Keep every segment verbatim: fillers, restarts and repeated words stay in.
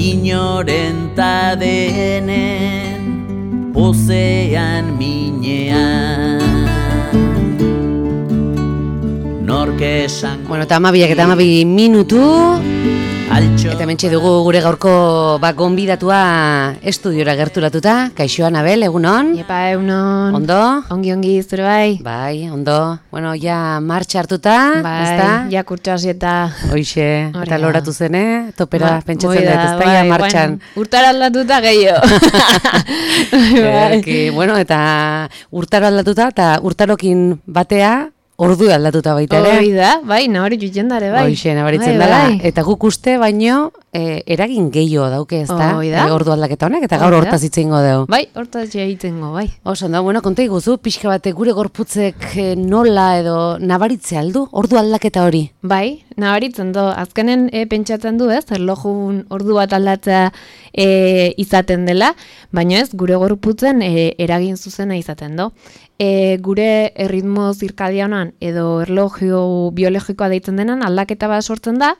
inoren ta denen pozean minean. Norke esan... Bueno, eta amabiak eta amabi minutu... Eta mentxe dugu gure gaurko ba, gonbidatua estudiora gerturatuta. Kaixo Anabel, egunon? Epa, egunon. Ondo? Ongi, ongi, zure bai? Bai, ondo. Bueno, ja martxa hartuta, bai, ezta? Ja kurtxasi eta... Hoixe, eta loratu zene, topera ba, pentsatzen dut, ez da, bai, ja martxan. Bueno, urtara aldatuta gehiago. Erki, bueno, eta urtaro aldatuta, eta urtarokin batea, ordu aldatuta baita ere. Hoi da, bai, nabari jutzen dare, bai. Hoixe, nabaritzen bai, dela. Bai. Eta guk uste baino, e, eragin gehiago dauke, ez da? Hoi da. E, ordu aldaketa honek, eta gaur hortaz itzengo dugu. Bai, hortaz egitengo, bai. Oso, da, bueno, konta iguzu, pixka batek gure gorputzek e, nola edo nabaritze aldu, ordu aldaketa hori? Bai, nabaritzen du, azkenen e, pentsatzen du, ez, erlojun ordu bat aldatzea e, izaten dela, baina ez, gure gorputzen e, eragin zuzena izaten du. E, gure erritmo zirkadianan edo erlojio biologikoa deitzen denan aldaketa bat sortzen da,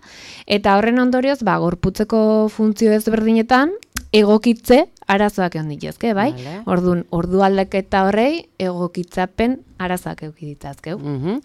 eta horren ondorioz, ba, gorputzeko funtzio ezberdinetan egokitze arazoak egon dituzke, bai? Vale. Orduan, ordu aldaketa horrei egokitzapen arazoak eduki ditzazkeu. Uh-huh.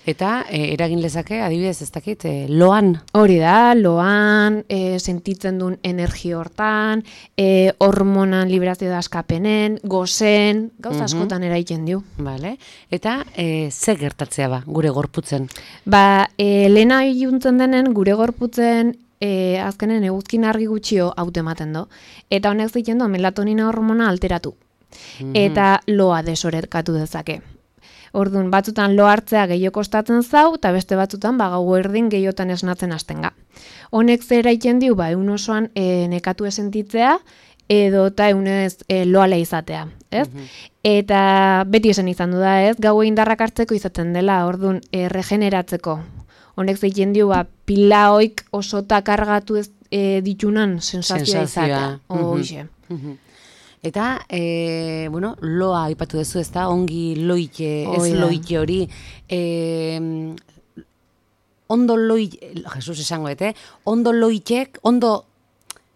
Eta e, eragin lezake, adibidez, ez dakit, e, loan? Hori da, loan, e, sentitzen duen energia hortan, e, hormonan liberazio da askapenen, gozen, gauza uh-huh. askotan eraiten dio. Vale. Eta e, ze gertatzea ba, gure gorputzen? Ba, e, lehena iluntzen denen gure gorputzen E, azkenen eguzkin argi gutxio haute ematen do. Eta honek ziten do melatonina hormona alteratu. Mm-hmm. Eta loa desorekatu dezake. Orduan, batzutan lo hartzea gehiago kostatzen zau, eta beste batzutan ba, gau erdin gehiotan esnatzen hastenga. Honek zera iten diu, ba, egun osoan e, nekatu esentitzea, edo eta egunez e, loala izatea. Ez? Mm-hmm. Eta beti esan izan du da, ez? Gau indarrak hartzeko izaten dela, orduan, e, regeneratzeko. Honek zeiten dio, ba, pila hoik osota kargatu ez e, ditunan sensazioa izatea. Hoxe. Mm-hmm. Eta, e, bueno, loa aipatu duzu, ez da, ongi loite, ez oh, loite hori, e, ondo loite, Jesus esango, ete, ondo loitek, ondo,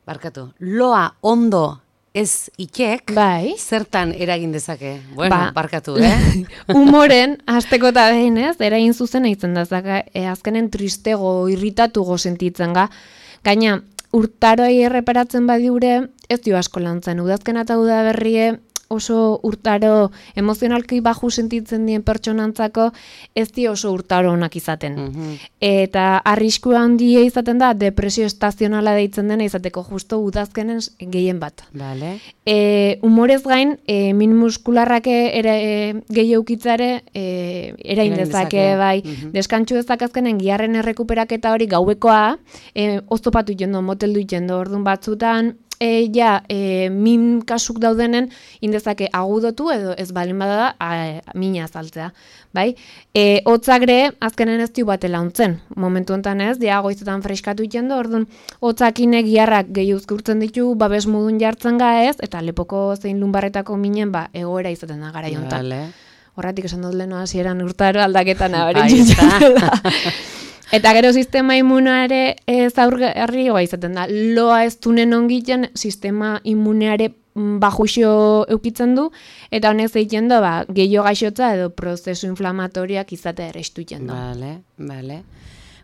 barkatu, loa ondo ez itek, bai. Zertan eragin dezake? Bueno, ba, barkatu, eh? Humoren, hasteko eta behin ez, eragin zuzen eitzen da, zaka, e, azkenen tristego, irritatugo sentitzen ga. Gaina, urtaroi erreparatzen badiure, ez dio asko lantzen, udazken eta udaberrie, oso urtaro emozionalki baju sentitzen dien pertsonantzako ez di oso urtaro onak izaten. Mm-hmm. Eta arriskua handia izaten da depresio estazionala deitzen dena izateko justo udazkenen gehien bat. Vale. E, humorez gain, e, min muskularrake ere, e, gehiago ukitzare e, erain dezake, bai. Mm-hmm. Deskantxu dezak azkenen giarren errekuperaketa hori gauekoa, e, oztopatu jendo, moteldu jendo, orduan batzutan, E, ja, e, min kasuk daudenen indezake agudotu edo ez balin bada a, mina azaltzea, bai? E, hotzagre azkenen ez diu batela ontzen, momentu honetan ez, dia goizetan freskatu itendo, orduan hotzakinek giarrak gehi uzkurtzen ditu, babes modun jartzen ga ez, eta lepoko zein lumbarretako minen, ba, egoera izaten da gara jontan. Vale. Horratik esan dut leheno hasieran urtaro aldaketan abaritzen. Eta gero sistema immuneare zaurgarri goa izaten da. Loa ez dunen ongiten sistema immuneare bajuxo eukitzen du, eta honek zeiten da, ba, gehiago gaixotza edo prozesu inflamatoriak izatea errestuiten du. Vale, vale.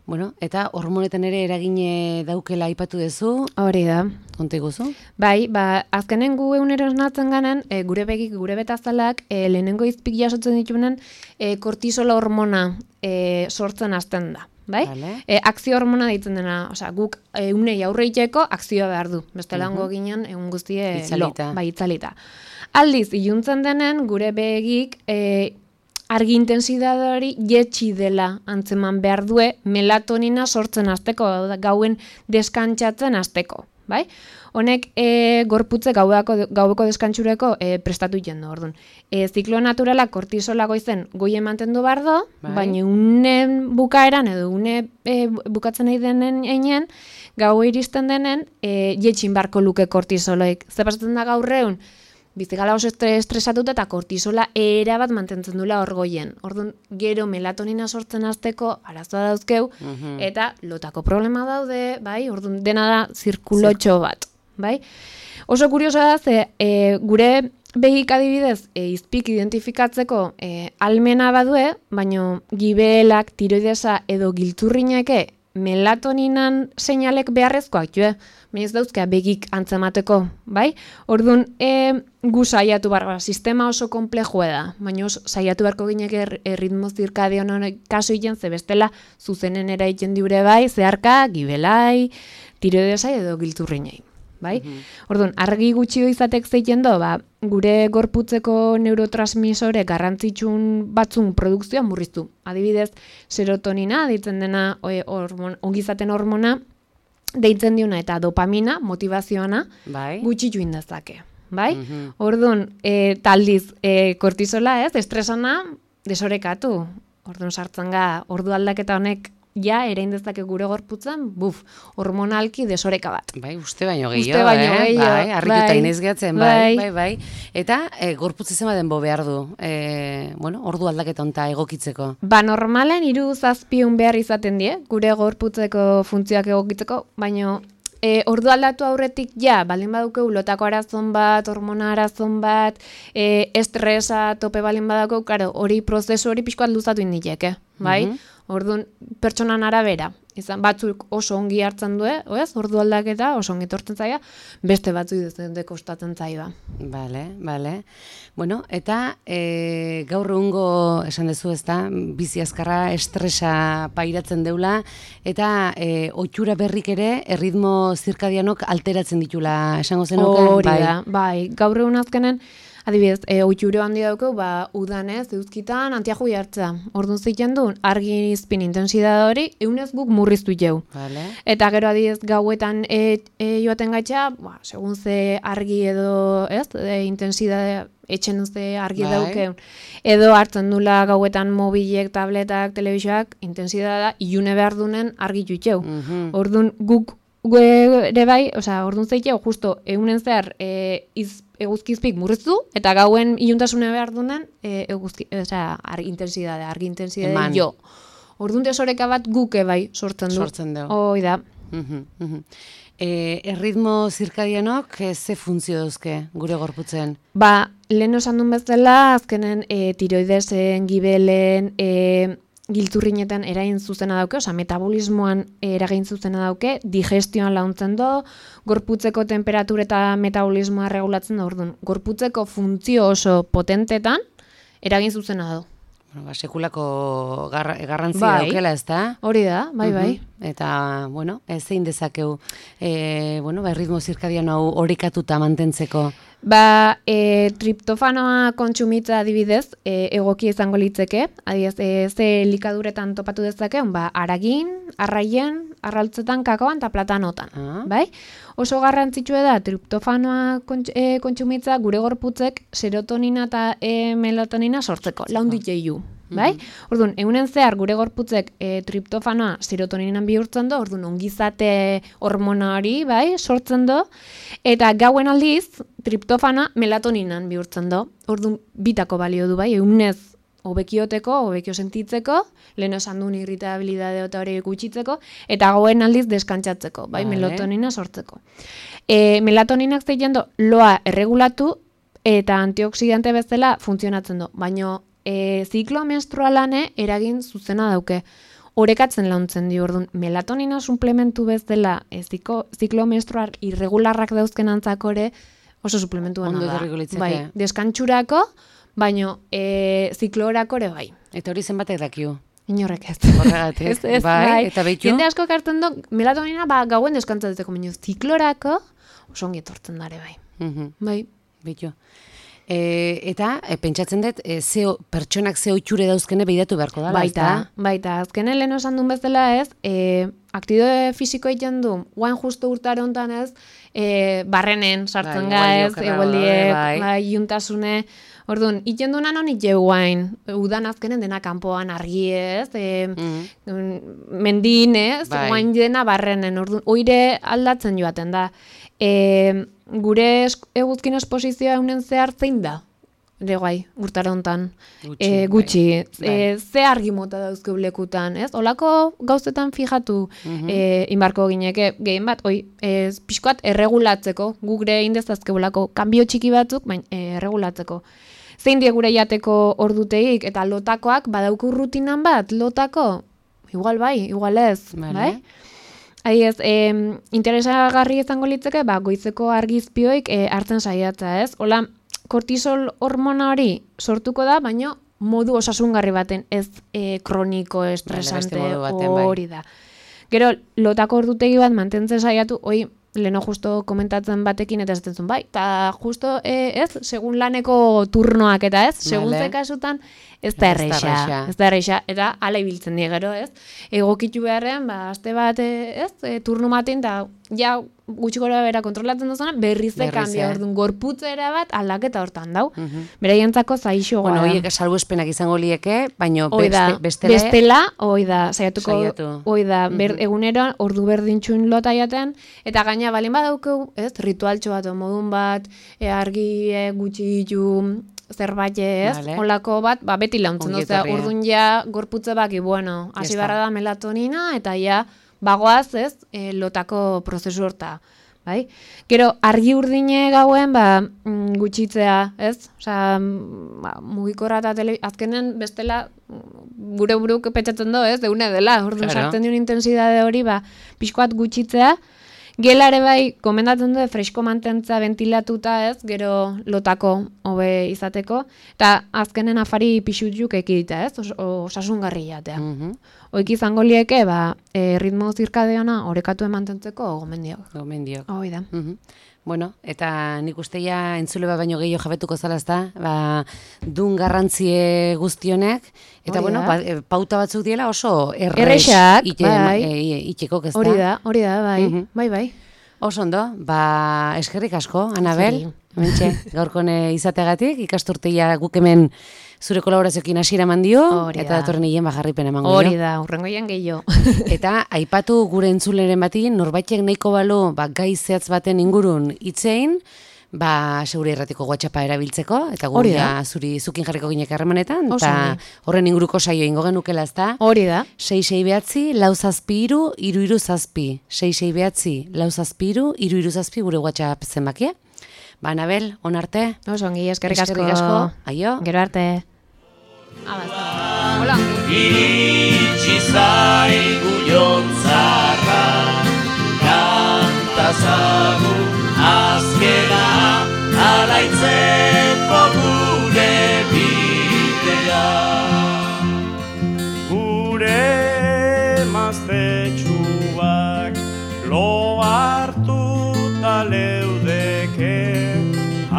Bueno, eta hormonetan ere eragine daukela aipatu duzu. Hori da. Konta iguzu? Bai, ba, azkenen gu egunero esnatzen ganen, e, gure begik, gure betazalak, e, lehenengo izpik jasotzen ditunen, e, kortisola hormona e, sortzen hasten da. Bai? Vale. E, akzio hormona deitzen dena, osea, guk egunei aurre iteko akzioa behar du. Bestelango uh-huh. ginen egun guztie itzalita. Lo, bai, itzalita. Aldiz, iluntzen denen, gure begik e, argi intensidade hori jetxi dela antzeman behar due melatonina sortzen hasteko, gauen deskantzatzen hasteko, bai? Honek e, gorputze gaueko, gaueko deskantxureko e, prestatu jendo, orduan. E, ziklo naturala kortisola goizen goi emantendu behar do, bai. Baina unen bukaeran edo une e, bukatzen nahi denen einen, gau iristen denen e, jetxin barko luke kortisoloik. Zer pasatzen da gaurreun? Bizigala oso estresatuta eta kortisola erabat mantentzen dula orgoien. Orduan, gero melatonina sortzen hasteko arazoa dauzkeu, uh-huh. eta lotako problema daude, bai, orduan, dena da zirkulotxo bat. bai? Oso kuriosa da, ze e, gure begik adibidez, e, izpik identifikatzeko e, almena badue, baino gibelak, tiroidesa edo giltzurrineke melatoninan seinalek beharrezkoak joe, baina ez dauzkea begik antzemateko, bai? Orduan, e, gu saiatu barra, sistema oso komplejua da, baina saiatu barko ginek er, erritmo zirkadion honek kaso egin, ze bestela zuzenen eraiten diure bai, zeharka, gibelai, tiroidesai edo giltzurrinei. Bai? Mm-hmm. Orduan, argi gutxi izatek zeiten do, ba, gure gorputzeko neurotransmisore garrantzitsun batzun produkzioa murriztu. Adibidez, serotonina, deitzen dena e, hormon, ongizaten hormona, deitzen diuna eta dopamina, motivazioana, bai. Gutxitu indazake. Bai? Mm-hmm. Orduan, e, taldiz, e, kortisola ez, estresana, desorekatu. Orduan, sartzen ga, ordu aldaketa honek ja, erein dezake gure gorputzen, buf, hormonalki desoreka bat. Bai, uste baino gehiago, baino eh? Gehiago, bai, harrituta bai, inez gehatzen, bai, bai, bai. Eta, e, gorputz zema denbo behar du, e, bueno, ordu aldaketa honta egokitzeko. Ba, normalen, hiru zazpiun behar izaten die, gure gorputzeko funtzioak egokitzeko, baino, E, ordu aldatu aurretik, ja, baldin badukeu lotako arazon bat, hormona arazon bat, e, estresa tope baldin badukeu, karo, hori prozesu hori pixkoat luzatu indilek, eh? Bai? Mm-hmm. Orduan, pertsonan arabera, izan batzuk oso ongi hartzen du, oez, ordu aldaketa oso ongi tortzen zaia, beste batzu izan kostatzen zaia. Bale, bale. Bueno, eta e, gaur egungo esan dezu, ezta, bizi azkarra estresa pairatzen deula, eta e, ohitura berrik ere erritmo zirkadianok alteratzen ditula, esango zenuke? Hori bai. Da, bai, gaur egun azkenen, adibidez, e, ohitura handi daukeu, ba, udanez, euzkitan, antiaju jartza. Orduan zeiten du, argi izpin intensidade hori, eunez guk murriztu jau. Vale. Eta gero adibidez, gauetan e, e, joaten gaitxa, ba, segun ze argi edo, ez, e, intensidade, etxen ze argi bai. Daukeun. Edo hartzen dula gauetan mobilek, tabletak, telebisioak, intensidadea, ilune behar dunen argi juteu. Mm-hmm. Orduan guk ere bai, osea, orduan zeiteu, justo, eunen zehar, e, iz, eguzkizpik murriztu, eta gauen iluntasune behar dunen, e, eguzki, osea, argi intensidade, argi intensidade jo. Orduan desoreka bat guke bai sortzen du. Sortzen du. Hoi da. Uh-huh, uh-huh. E, erritmo zirkadianok e, ze funtzio dauzke gure gorputzen? Ba, lehen osan duen bezala, azkenen e, tiroidesen, gibelen, e, giltzurrinetan erain zuzena dauke, oza, metabolismoan eragin zuzena dauke, digestioan launtzen do, gorputzeko temperatura eta metabolismoa regulatzen da, orduan, gorputzeko funtzio oso potentetan eragin zuzena do. Bueno, ba, sekulako garra, garrantzi bai. Daukela, ez da? Hori da, bai, bai. Uh-huh. Eta, bueno, ez zein dezakeu, e, bueno, ba, erritmo zirkadiano hau horikatuta mantentzeko? Ba, e, triptofanoa kontsumitza adibidez, e, egoki izango litzeke, adibidez, e, ze likaduretan topatu dezake, ba, aragin, arraien, arraltzetan, kakoan eta platanotan, ah. bai? Oso garrantzitsua da triptofanoa kontx, e, kontsumitza gure gorputzek serotonina eta e, melatonina sortzeko, laundit jeiu. Bai? Mm-hmm. Orduan, egunen zehar gure gorputzek e, triptofanoa serotoninan bihurtzen du, orduan ongizate hormona hori, bai, sortzen du, eta gauen aldiz triptofana melatoninan bihurtzen du. Orduan, bitako balio du, bai, egunez hobekioteko, hobekio sentitzeko, lehen esan duen irritabilidade eta hori gutxitzeko, eta gauen aldiz deskantzatzeko, bai, vale. Melatonina sortzeko. E, melatoninak zeiten du, loa erregulatu eta antioksidante bezala funtzionatzen du, baino E, ziklo menstrualane eragin zuzena dauke. Orekatzen launtzen di, orduan, melatonina suplementu bezala e, ziko, ziklo menstrual irregularrak dauzken antzakore oso suplementu gana da. Bai, deskantxurako, baino e, ziklorako ere bai. Eta hori zenbatek dakiu? Inorrek ez. Horregatik, ez, ez, bai, bai. Eta behitu? Jende asko kartzen du, melatonina ba, gauen deskantzatzeko, baino ziklorako oso ongi etortzen dare bai. Uh-huh. Bai. Behitu. E, eta, e, pentsatzen dut, e, zeo, pertsonak ze ohiture dauzkene behiratu beharko dala, baita, ezta? Baita, azkenen lehen osan duen bezala ez, e, aktidoe fisiko egiten du, guain justu urtare honetan ez, e, barrenen sartzen bai, ga ez, egueldiek, bai, bai, iuntasune, orduan, iten du nanon ite guain, udan azkenen dena kanpoan argi ez, e, mm-hmm. mendin ez, bai. Guain dena barrenen, orduan, oire aldatzen joaten da. E, gure eguzkin esposizioa eunen zehar zein da? ere guai, urtara hontan. Gutxi, E, gutxi. bai. E, ze argi mota dauzkeu lekutan, ez? Olako gauzetan fijatu Mhm. e, inbarko gineke, gehien bat, oi, e, pixkoat erregulatzeko, gure indezazkeulako kanbio txiki batzuk, baina e, erregulatzeko. Zein die gure jateko orduteik, eta lotakoak badauku rutinan bat, lotako, igual bai, igual ez, Vale. bai? Adiez, e, interesagarri izango litzeke, ba, goizeko argizpioik e, hartzen saiatza, ez? Hola, kortisol hormona hori sortuko da, baina modu osasungarri baten, ez e, kroniko, estresante, modu baten, bai. hori da. Gero, lotako ordutegi bat mantentzen saiatu, hoi, leno justo komentatzen batekin eta ez dut bai, eta justo, e, ez, segun laneko turnoak eta ez, segun Vale. ze kasutan, ez da Ez da erreixa, erreixa. ez da erreixa, eta ala ibiltzen die gero, ez, egokitu beharrean, ba, aste bat, e, ez, e, turno maten, eta ja, gutxi gora bera kontrolatzen duzuna, berriz de Berriz, kanbia, eh? orduan, gorputzera bat aldaketa hortan dau. Mhm. Beraientzako zaixo Bueno, gara. horiek salbuespenak izango lieke, baino Hoi da, beste, bestela, bestela, hoi da, saiatuko, Saiatu. hoi da, ber, Mhm. egunero ordu berdintxun lota jaten, eta gaina balin badaukeu, ez, ritualtxo bat, o modun bat, e, argi e, gutxi ditu, zerbait ez, Vale. olako bat, ba, beti launtzen Ongi dut, etorria. orduan ja gorputze baki, bueno, hasi Ya barra está. da melatonina, eta ja, bagoaz, ez, e, lotako prozesu horta. Bai? Gero, argi urdine gauen, ba, mm, gutxitzea, ez? Osa, mm, ba, mugikorra eta tele... azkenen bestela mm, gure buruk petxatzen do, ez? Deune dela, orduan Claro. sartzen duen intensidade hori, ba, pixkoat gutxitzea. Gelare bai, komendatzen du fresko mantentza ventilatuta, ez? Gero lotako hobe izateko. Eta azkenen afari pixutzuk ekidita, ez? Os, osasungarri jatea. Mhm. Oik izango lieke, ba, e, ritmo zirkadeona orekatu mantentzeko gomendiok. Gomendiok. Hoi da. Mhm. Bueno, eta nik uste ja entzule bat baino gehiago jabetuko zala, ezta? Ba, dun garrantzie guztionek, eta Hori bueno, da. ba, e, pauta batzuk diela oso errex Errexak, ite, bai. e, itekok, ezta? Hori da, hori da, bai, Mhm. bai, bai. Oso ondo, ba, eskerrik asko, Anabel, Zuri. hementxe, gaurkone izategatik, ikasturteia guk hemen zure kolaborazioekin hasiera eman dio, Hori eta da. datorren hien bajarripen emango Hori dio. da, urrengoian gehiago. Eta aipatu gure entzuleren batin, norbaitek nahiko balu, ba, gai zehatz baten ingurun itzein, ba, segure erratiko WhatsAppa erabiltzeko, eta Hori gure da. zuri zukin jarriko ginek harremanetan, Oso eta ongi. horren inguruko saio ingo genukela, ezta? Hori da. sei sei behatzi, lau zazpi iru, iru iru zazpi. sei sei behatzi, lau zazpi iru, iru iru zazpi gure WhatsApp zenbakia. Ba, Anabel, on arte. Oso ongi, eskerrik asko. Eskerrik asko. Aio. Gero arte. Hola, ongi. Iritsi zaigu jontzarra, kantazagu azkena, alaitzeko gure bidea. Gure maztetxuak lo hartuta leudeke,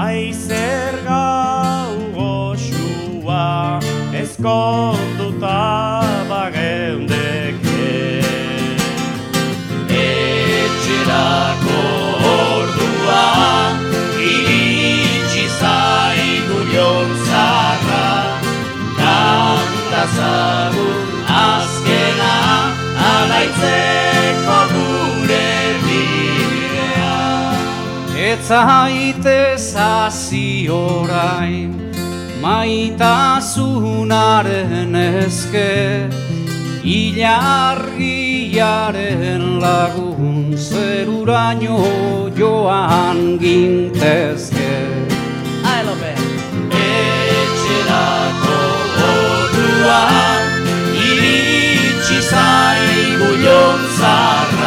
aizer gau goxua ezkonduta bageundeke. Etxerako ordua, iritsi zaigu jontzarra, kantazagu azkena, alaitzeko gure bidea. Etzaitez hasi orain, maitasunaren eske, ilargiaren lagun zeruraino joan gintezke. Etxerako ordua, iritsi zaigu jontzarra,